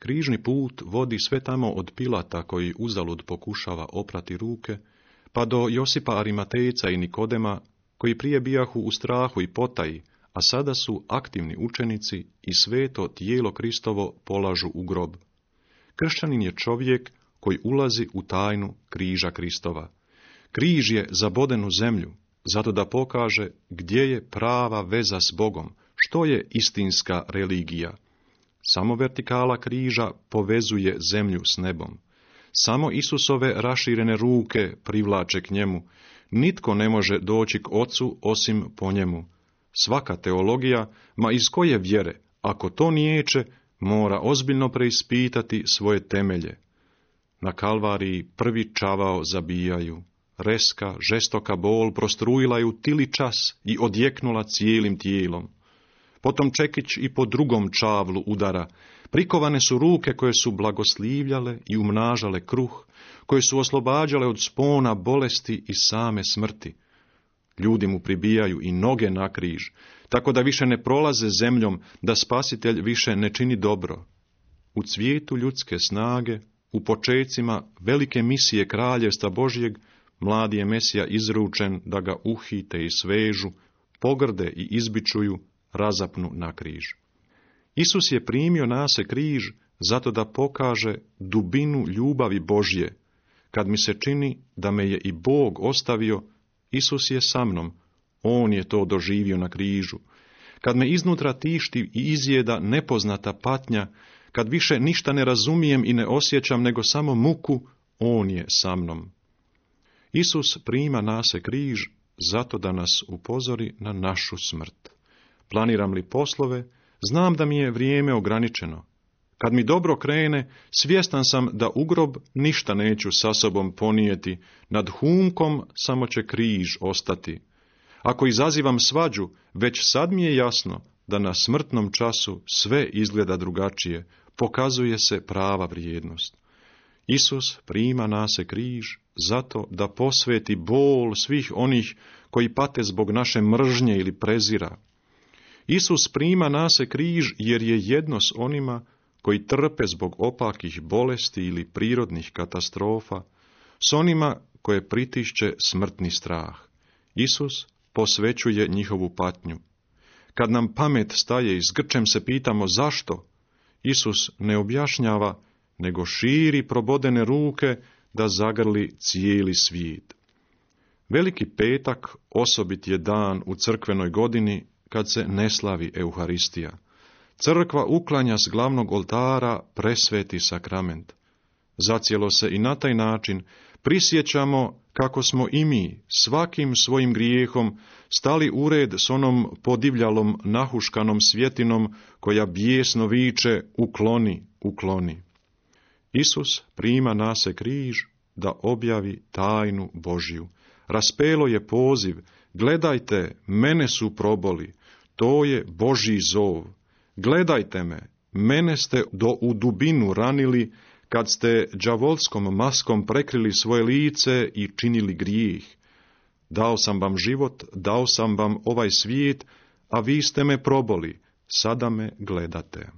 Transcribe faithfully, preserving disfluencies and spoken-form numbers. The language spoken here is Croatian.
Križni put vodi sve tamo od Pilata koji uzalud pokušava oprati ruke, pa do Josipa Arimatejca i Nikodema, koji prije bijahu u strahu i potaji, a sada su aktivni učenici i sveto tijelo Kristovo polažu u grob. Kršćanin je čovjek koji ulazi u tajnu križa Kristova. Križ je zaboden u zemlju, zato da pokaže gdje je prava veza s Bogom, što je istinska religija. Samo vertikala križa povezuje zemlju s nebom. Samo Isusove raširene ruke privlače k njemu. Nitko ne može doći k Ocu osim po njemu. Svaka teologija, ma iz koje vjere, ako to niječe, mora ozbiljno preispitati svoje temelje. Na Kalvariji prvi čavao zabijaju. Reska, žestoka bol prostrujila ju tili čas i odjeknula cijelim tijelom. Potom čekić i po drugom čavlu udara. Prikovane su ruke koje su blagoslivljale i umnažale kruh, koje su oslobađale od spona bolesti i same smrti. Ljudi mu pribijaju i noge na križ, tako da više ne prolaze zemljom, da Spasitelj više ne čini dobro. U cvijetu ljudske snage, u počecima velike misije kraljevstva Božjeg, mladi je Mesija izručen da ga uhite i svežu, pogrde i izbičuju, razapnu na križ. Isus je primio na se križ zato da pokaže dubinu ljubavi Božje. Kad mi se čini da me je i Bog ostavio, Isus je sa mnom, on je to doživio na križu. Kad me iznutra tišti i izjeda nepoznata patnja, kad više ništa ne razumijem i ne osjećam nego samo muku, on je sa mnom. Isus prima na se križ zato da nas upozori na našu smrt. Planiram li poslove, znam da mi je vrijeme ograničeno. Kad mi dobro krene, svjestan sam da u grob ništa neću sa sobom ponijeti, nad humkom samo će križ ostati. Ako izazivam svađu, već sad mi je jasno da na smrtnom času sve izgleda drugačije, pokazuje se prava vrijednost. Isus prima na se križ zato da posveti bol svih onih koji pate zbog naše mržnje ili prezira. Isus prima na se križ jer je jedno s onima koji trpe zbog opakih bolesti ili prirodnih katastrofa, s onima koje pritišće smrtni strah. Isus posvećuje njihovu patnju. Kad nam pamet staje i s grčem se pitamo zašto, Isus ne objašnjava, nego širi probodene ruke da zagrli cijeli svijet. Veliki petak osobit je dan u crkvenoj godini kad se ne slavi Euharistija. Crkva uklanja s glavnog oltara presveti sakrament. Zacijelo se i na taj način prisjećamo kako smo i mi svakim svojim grijehom stali u red s onom podivljalom nahuškanom svjetinom koja bijesno viče ukloni, ukloni. Isus prima na se križ da objavi tajnu Božju. Raspelo je poziv, gledajte, mene su proboli, to je Božji zov. Gledajte me, mene ste do u dubinu ranili, kad ste đavolskom maskom prekrili svoje lice i činili grijeh. Dao sam vam život, dao sam vam ovaj svijet, a vi ste me proboli, sada me gledate.